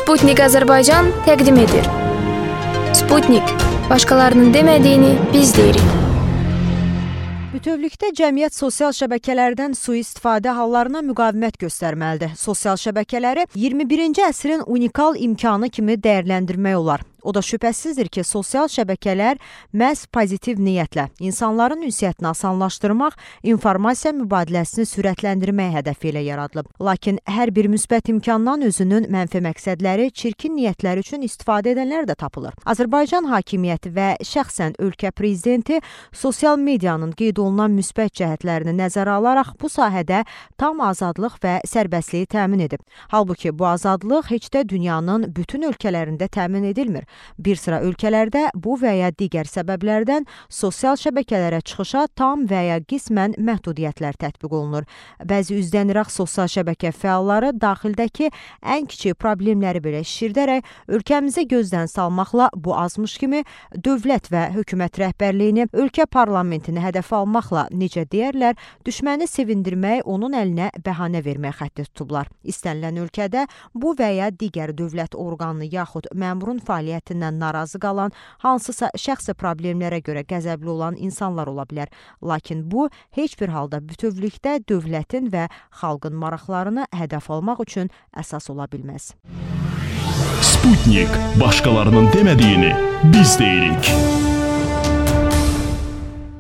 Sputnik Azərbaycan təqdim edir. Sputnik, başqalarının demədiyini biz deyirik. Bütövlükdə cəmiyyət sosial şəbəkələrdən sui-istifadə hallarına müqavimət göstərməlidir. Sosial şəbəkələri 21-ci əsrin unikal imkanı kimi dəyərləndirmək olar. O da şübhəsizdir ki, sosial şəbəkələr məhz pozitiv niyyətlə insanların ünsiyyətini asanlaşdırmaq, informasiya mübadiləsini sürətləndirmək hədəfi ilə yaradılıb. Lakin hər bir müsbət imkandan özünün mənfi məqsədləri, çirkin niyyətləri üçün istifadə edənlər də tapılır. Azərbaycan hakimiyyəti və şəxsən ölkə prezidenti sosial medianın qeyd olunan müsbət cəhətlərini nəzərə alaraq bu sahədə tam azadlıq və sərbəstliyi təmin edib. Halbuki bu azadlıq heç də dünyanın bütün ölkələrində təmin edilmir. Bir sıra ölkələrdə bu və ya digər səbəblərdən sosial şəbəkələrə çıxışa tam və ya qismən məhdudiyyətlər tətbiq olunur. Bəzi üzdəniraq sosial şəbəkə fəalları daxildəki ən kiçik problemləri belə şişirdərək ölkəmizi gözdən salmaqla bu azmış kimi dövlət və hökumət rəhbərliyini, ölkə parlamentini hədəf almaqla, necə deyərlər, düşməni sevindirmək, onun əlinə bəhanə vermək xətti tutublar. İstənilən ölkədə bu və ya digər dövlət orqanı yaxud məmurun fəaliyyətindən narazı qalan, hansısa şəxsi problemlərə görə qəzəbli olan insanlar ola bilər. Lakin bu, heç bir halda bütövlükdə dövlətin və xalqın maraqlarını hədəf almaq üçün əsas ola bilməz. Sputnik, başqalarının demədiyini biz deyirik.